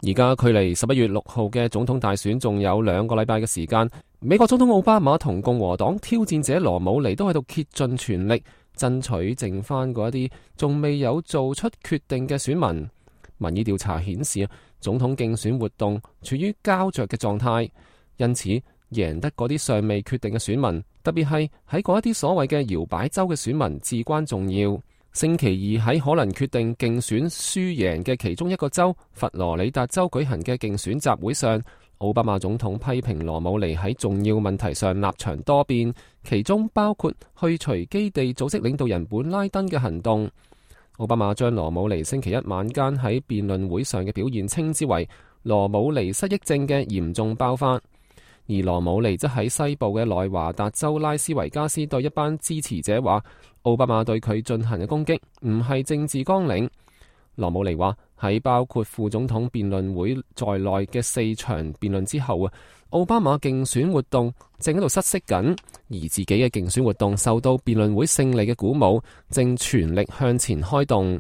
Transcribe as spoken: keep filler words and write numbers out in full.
而家距離十一月六號嘅總統大選仲有兩個禮拜嘅時間，美國總統奧巴馬同共和黨挑戰者羅姆尼都喺度竭盡全力爭取剩翻嗰一啲仲未有做出決定嘅選民。民意調查顯示，總統競選活動處於膠着嘅狀態，因此贏得嗰啲尚未決定嘅選民，特別係喺嗰一啲所謂嘅搖擺州嘅選民至關重要。星期二喺可能決定競選輸贏嘅其中一個州佛羅里達州舉行嘅競選集會上，奧巴馬總統批評羅姆尼喺重要問題上立場多變，其中包括去除基地組織領導人本拉登嘅行動。奧巴馬將羅姆尼星期一晚間喺辯論會上嘅表現稱之為羅姆尼失憶症嘅嚴重爆發。而羅姆尼則喺西部嘅內華達州拉斯維加斯對一班支持者話，奧巴馬對佢進行嘅攻擊唔係政治綱領。羅姆尼話喺包括副總統辯論會在內嘅四場辯論之後啊，奧巴馬競選活動正喺度失色緊，而自己嘅競選活動受到辯論會勝利嘅鼓舞，正全力向前開動。